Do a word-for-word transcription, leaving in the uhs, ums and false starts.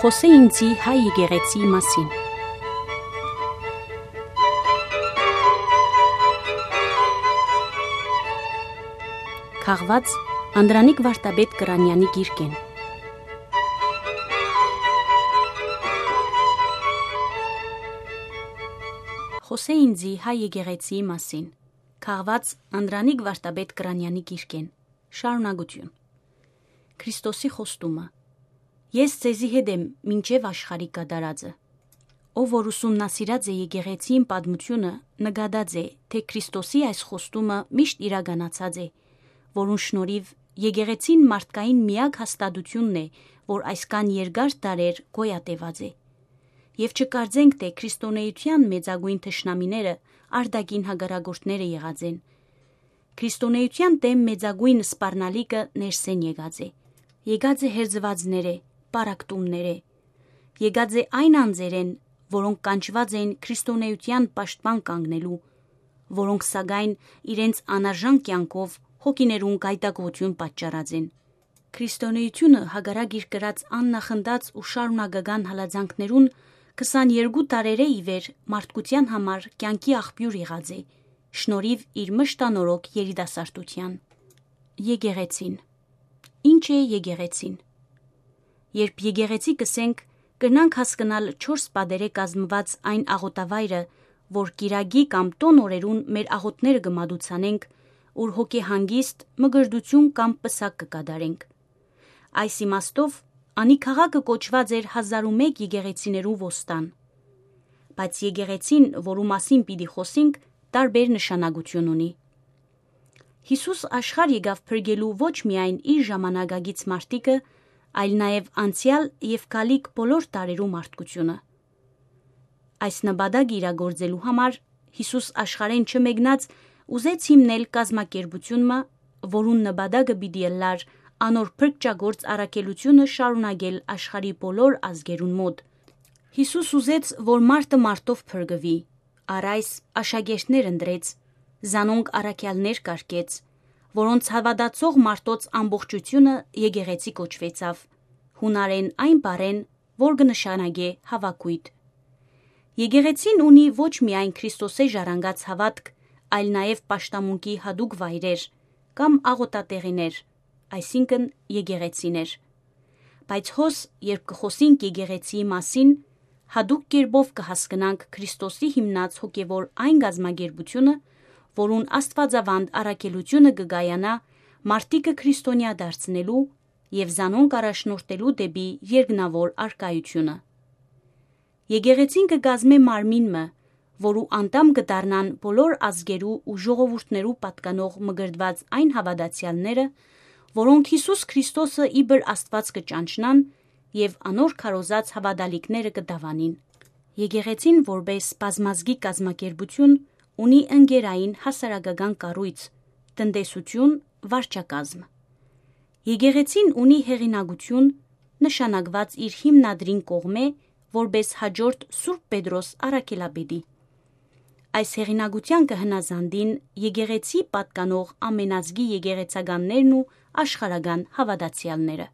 Խօսէ ինծի հայ եկեղեցիի մասին։ Քաղուած Անդրանիկ Վարդապետ Կրանեանի գիրքէն։ Խօսէ ինծի հայ եկեղեցիի մասին։ Քաղուած Անդրանիկ Վարդապետ Կրանեանի գիրքէն։ Շարունակութիւն։ Քրիստոսի խոստումը։ Ես ձեզի հետ եմ մինչեւ աշխարհի կատարածը։ Ով որ ուսումնասիրած է եկեղեցիին պատմութիւնը, նկատած է, թէ Քրիստոսի այս խոստումը միշտ իրականացած է, որուն շնորհիւ եկեղեցին մարդկային միակ հաստատութիւնն է, որ այսքան երկար դարեր գոյատեւած է։ Եւ չկարծենք, թէ քրիստոնէութեան մեծագոյն թշնամիները արտաքին հակառակորդները եղած են։ Քրիստոնէութեան դէմ մեծագոյն սպառնալիքը ներսէն եկած է։ Եկած է հերձուածներէ, պառակտումներէ։ Եկած է այն անձերէն, որոնք կանչուած են քրիստոնէութեան պաշտպան կանգնելու, որոնք սակայն իրենց անարժան կեանքով հոգիներուն գայթակղութիւն պատճառած են։ Քրիստոնէութիւնը, հակառակ իր կրած աննախընթաց ու շարունակական հալածանքներուն, քսաներկու տարերէ ի վեր մարդկութեան համար կեանքի աղբիւր եղած է, շնորհիւ իր մշտանորոգ երիտասարդութեան։ Եկեղեցին։ Ի՞նչ է եկեղեցին։ Երբ եկեղեցի կ'ըսենք, կրնանք հասկնալ չորս պատերէ կազմուած այն աղօտավայրը, որ կիրակի կամ տօն օրերուն մեր աղօթքները կը մատուցանենք, ուր հոգեհանգիստ, մկրտութիւն կամ պսակ կը կատարենք։ Այս իմաստով, անի քաղաքը կոչուած էր հազար ու մէկ եկեղեցիներու ոստան։ Բայց եկեղեցին, որու մասին պիտի խօսինք, տարբեր նշանակութիւն ունի։ Յիսուս աշխարհ եկաւ փրկելու ոչ միայն իր ժամանակակից մարդիկը, այլ նաեւ անցեալ եւ գալիք բոլոր դարերու մարդկությունը։ Այս նպատակը իրագործելու համար Յիսուս աշխարհէն չմեկնած ուզեց հիմնել կազմակերպութիւն մը, որուն նպատակը պիտի ըլլար անոր փրկչագործ առաքելութիւնը շարունակել աշխարհի բոլոր ազգերուն մօտ։ Յիսուս ուզեց, որ մարդը մարդով փրկուի, առ այս աշակերտներ ընտրեց, զանոնք առաքեալներ կարգեց, որոնց հաւատացող մարդոց ամբողջութիւնը եկեղեցի կոչուեցաւ, յունարէն այն բառէն, որ կը նշանակէ հաւակոյտ։ Եկեղեցին ունի ոչ միայն Քրիստոսէ ժառանգած հաւատք, այլ նաեւ պաշտամունքի յատուկ վայրեր կամ աղօտատեղիներ, այսինքն՝ եկեղեցիներ։ Բայց հոս, երբ կը խօսինք եկեղեցիի մասին, յատուկ կերպով կը հասկնանք Քրիստոսի հիմնած հոգեւոր այն կազմակերպութիւնը, որուն աստուածաւանդ առաքելութիւնը կը կայանայ մարդիկը քրիստոնեայ դարձնելու եւ զանոնք առաջնորդելու դէպի երկնաւոր առկայութիւնը։ Եկեղեցին կը կազմէ մարմին մը, որու անդամ կը դառնան բոլոր ազգերու ու ժողովուրդներու պատկանող մկրտուած այն հաւատացեալները, որոնք Յիսուս Քրիստոսը իբր Աստուած կը ճանչնան եւ անոր քարոզած հաւատալիքները կը դաւանին։ Եկեղեցին, որպէս բազմազգի կազմակերպութիւն, ունի ընկերային հասարակական կառոյց, տնտեսութիւն, վարչակազմ։ Եկեղեցին ունի հեղինակութիւն, նշանակուած իր հիմնադրին կողմէ, որպէս հաջորդ Սուրբ Պետրոս առաքելապետի։ Այս հեղինակութեան կը հնազանդին եկեղեցի պատկանող ամենազգի եկեղեցականներն ու աշխարհական հաւատացեալները։